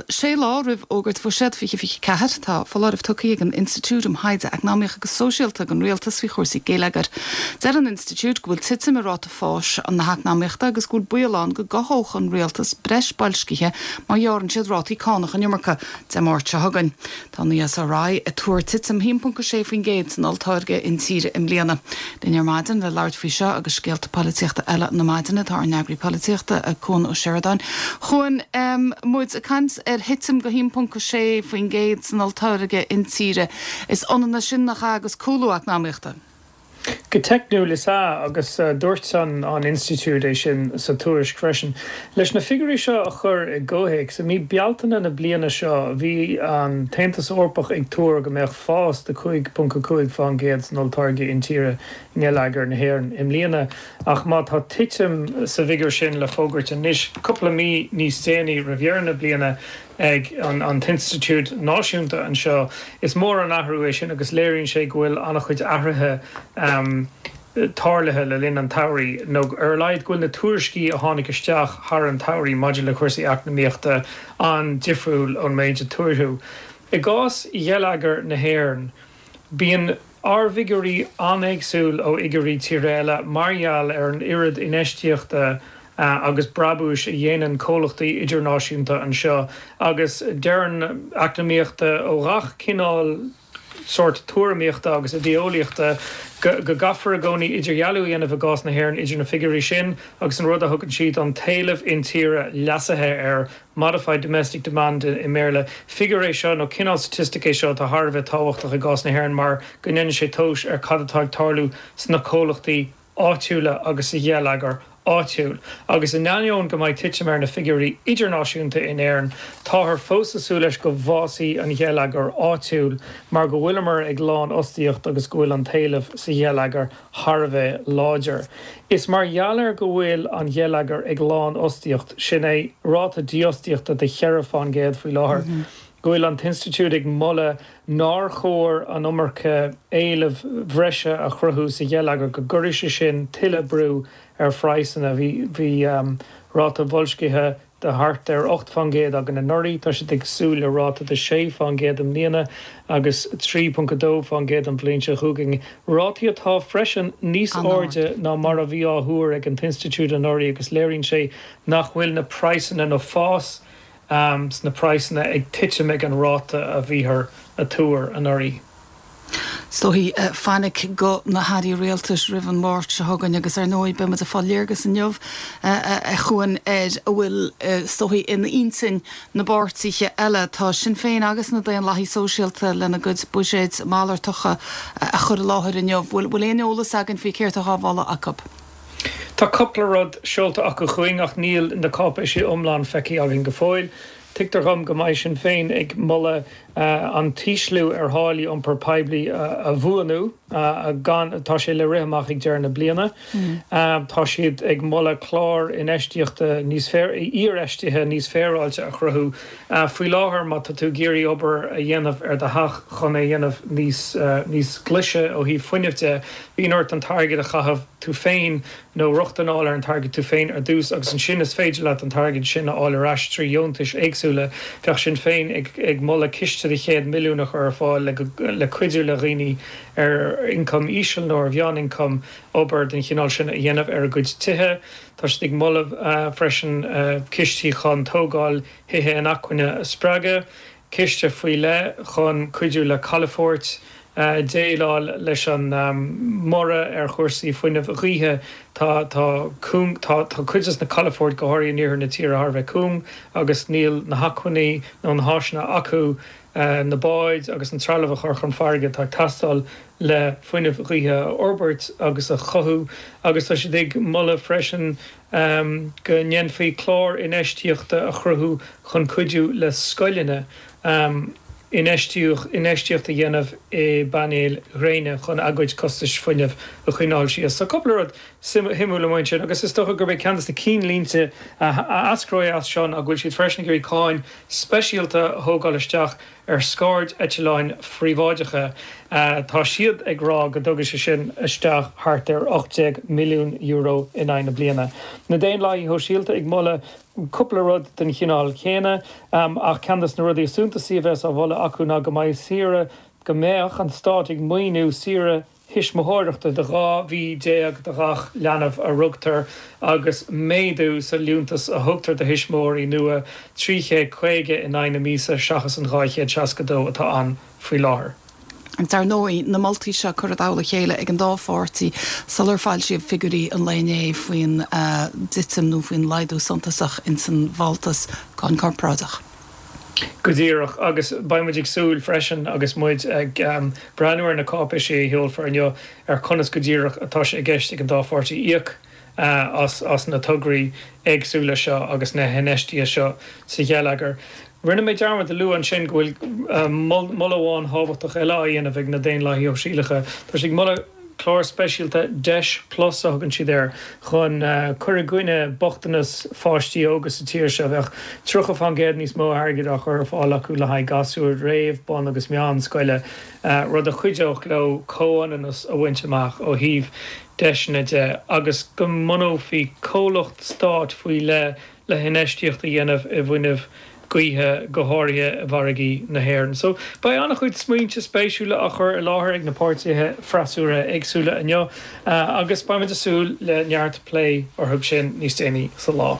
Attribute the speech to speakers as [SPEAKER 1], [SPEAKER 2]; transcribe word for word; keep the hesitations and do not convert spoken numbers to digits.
[SPEAKER 1] sé lá roimh fhógairt bhuiséad fiche fiche ceathair tá foláireamh tugtha ag an Institiúid um Thaighde Eacnamaíoch agus Sóisialta don rialtas faoi chúrsaí geilleagair. Deir an institiúid go bhfuil titim i ráta fáis an na heacnamaíochta agus go bhfuil baol ann go gcothódh an rialtas breis boilscithe má ghearrann siad rátaí cánach an iomarca Dé Máirt seo chugainn. Tá an ESRI ag tuar titim haon ponc sé faoin gcéad san olltáirgeadh intíre i mbliana. Linn ar maidin le labhairt faoi seo agus scéalta polaitíochta eile na maidine tá ár n-eagraí polaitíochta Cuan Ó Seireadáin. Chuan um, muid ag caint ar thitim go haon ponc sé faoin gcéad san olltáirgeadh intíre. Is ionann sin nach agus cúlú eacnamaíochta.
[SPEAKER 2] Go teicniúil is ea agus uh, dúirt an an institiúid é sin sa tuairisc freisin. Leis na figiúirí seo a chur i gcomhthéacs, i mí Bealtaine na bliana seo bhí an tAontas Eorpach ag tuar go mbeadh fás de cúig ponc cúig faoin gcéad san olltáirgeadh intíre i ngeilleagar na hÉireann i mbliana ach má tá titim sa bhfigiúr sin le fógairt anois cúpla mí níos déanaí roimh dheireadh na bliana ag an, an t-institiúid náisiúnta anseo. Is mór an athrú é sin agus léiríonn sé go bhfuil an-chuid athruithe um, tarlaithe le linn an tsamhraidh nó ar a laghad go bhfuil na tuairiscí a tháinig isteach thar an tsamhraidh maidir le cúrsaí eacnamaíochta an-difriúil ón méid a tuaradh. I gcás gheilleagar na hÉireann, bíonn ár bhfigiúirí an-éagsúil ó fhigiúirí tíre eile mar gheall ar an oiread infheistíochta agus brabúis a dhéanann comhlachtaí idirnáisiúnta anseo agus deireann eacnamaithe ó gach cineál sórt tuairimíochta agus idéeolaíochta go gcaithfear i gcónaí idirdhealú a dhéanamh i gcás na hÉireann idir na figiúirí sin agus an rud a thugann siad an t-éileamh intíre leasaithe ar modified domestic demand i mBéarla. Figiúr é seo nó cineál staitistice é seo atá thar a bheith tábhachtach i gcás na hÉireann mar go ndéanann sé tomhas ar cad atá ag tarlú sna comhlachtaí áitiúla agus sa gheilleagar áitiúil. Agus in ainneoin go mbeidh titim ar na figiúirí idirnáisiúnta in Éirinn, táthar fós ag súil leis go bhfásfaidh an geilleagar áitiúil mar go bhfuileamar ag lánfhostaíocht agus go bhfuil an t-éileamh sa gheilleagar thar a bheith láidir. Is mar gheall ar go bhfuil an geilleagar ag lánfhostaíocht sin é ráta dífhostaíochta de cheithre faoin gcéad faoi láthair. Mm -hmm. go bhfuil an t-institiúid ag moladh nár chóir an iomarca éilimh bhreise a chruthú sa gheilleagar go gcuirfeadh sé sin tuilleadh brú ar phraghsanna bhí bhí um, ráta boilscithe de thart ar ocht faoin gcéad againn anuraidh tá siad ag súil le ráta de sé faoin gcéad i mbliana agus trí ponc dó faoin gcéad an bhliain seo chugainn. Rátaí atá freisin níos airde ná mar a bhí á thuar ag an t-institiúid anuraidh agus léiríonn sé nach bhfuil na praghsanna nó fás um, sna praghsanna ag titim ag an ráta a bhíothar ag tuar anuraidh.
[SPEAKER 1] Is dóigh uh, fainic go na hairí rialtais roimh an Máirt seo chugainn agus ar ndóigh beimid ag fáil léargas inniu a Chuain ar a bhfuil is dóigh in intinn na bpáirtithe eile tá Sinn Féin agus na Daonlathaigh Sóisialta lena gcuid buiséid malartacha a chur i láthair inniu bhfuil bhfuil aon eolas againn faoi céard atá á mholadh acu.
[SPEAKER 2] Tá cúpla rud seolta acu chugainn ach níl na cáipéisí iomlán feicthe againn go fóill. Tuigtear dom go mbeidh Sinn Féin ag moladh uh, an t-ísliú ar tháillí iompar poiblí uh, a bhuanú uh, gan tá sé le rith amach ag deireadh na bliana. Mm. Uh, tá siad ag moladh clár infheistíochta níos féar infheistíochta níos féaráilte a chruthú. Uh, faoi láthair má tá tú ag iarraidh obair a dhéanamh ar do theach chun é dhéanamh níos uh, níos glaise ó thaobh fuinnimh de, bíonn ort an t-airgead a chaitheamh tú féin nó rochtain a fháil ar an t-airgead tú féin ar dtús agus ansin is féidir leat an t-airgead sin a fháil ar ais trí dheontais éagsúla bheadh Sinn Féin ag, ag moladh ciste de chéad milliún a chur ar fáil le, le cuidiú le dhaoine ar ioncam íseal nó ar mheánioncam obair den chineál sin a dhéanamh ar a gcuid tithe. Tá siad ag moladh uh, freisin uh, cistí chun tógáil tithe inacmhainne a spreagadh, ciste faoi leith chun cuidiú le calafoirt, Uh, déileáil leis an um, mborradh ar chúrsaí fuinnimh gaoithe tá tá tá tá cuid de na calafoirt go háirithe in iarthar na tíre thar a bheith cúng agus níl na hacmhainní nó na háiseanna acu uh, na báid agus an trealamh a chur chun farraige atá ag teastáil le fuinneamh gaoithe a fhorbairt agus a chothú agus tá siad ag moladh freisin um, go ndéanfaí clár infheistíochta a chruthú chun cuidiú le scoileanna. Um, infheistíocht a dhéanamh i bpainéil ghréine chun a gcuid costais fuinnimh a choinneáil síos. So cúpla rud suimiúil amuigh ansin agus is dócha gurb é ceann de na cinnlínte a eascróidh as seo go bhfuil siad freisin ag iarraidh cáin speisialta a thógáil isteach ar scairdeitleáin phríobháideacha. Tá siad ag rá go dtabharfaidh sé sin isteach thart ar ocht déag milliún euro in aghaidh na bliana. Na Daonlathaithe Shóisialta ag moladh cúpla rud den chineál céanna, ach ceann de na rudaí is suntasaí a bheas á mholadh acu ná go mbeidh saoire, go mbeadh an stát ag maoiniú saoire thuismitheoireachta de dhá mhí déag do ghach leanbh a rugtar agus méadú sa liúntas a thugtar do thuismitheoirí nua, trí chéad caoga in aghaidh na míosa seachas an dhá chéad seasca dó atá ann faoi láthair.
[SPEAKER 1] Agus dar ndóigh, na moltaí seo curtha i dtoll a chéile ag an dá pháirtí sular foilsíodh figiúirí an lae inné faoin dtitim nó faoin laghdú suntasach ins an bhfáltas cáin corparáideach.
[SPEAKER 2] Go díreach, agus beidh muid ag súil freisin agus muid ag breathnú ar na cáipéisí a sheolfar inniu ar conas go díreach atá sé i gceist ag an dá pháirtí íoc as na tograí éagsúla seo agus na hinfheistíochtaí seo sa gheilleagar. Rinne mé dearmad a lua ansin go bhfuil moladh amháin thábhachtach eile á dhéanamh ag na Daonlathaithe Shóisialacha. Tá siad ag moladh clár speisialta, Deis Plus a thugann siad air, chun cur i gcoinne bochtanas pháistí óga sa tír seo. Bheadh tríocha fán gcéad níos mó airgid á chur ar fáil acu le haghaidh gasúir réamh, bun agus meánscoile, rud a chuideodh leo comhionannas a bhaint amach ó thaobh deiseanna de agus go mbunófaí comhlacht stáit faoi leith le hinfheistíocht a dhéanamh i bhfuinneamh gaoithe, go háirithe i bhfarraigí na hÉireann. So, beidh an-chuid smaointe spéisiúla á chur i láthair ag na páirtithe freasúra éagsúla inniu agus beimid ag súil le neart plé orthu sin níos déanaí sa lá.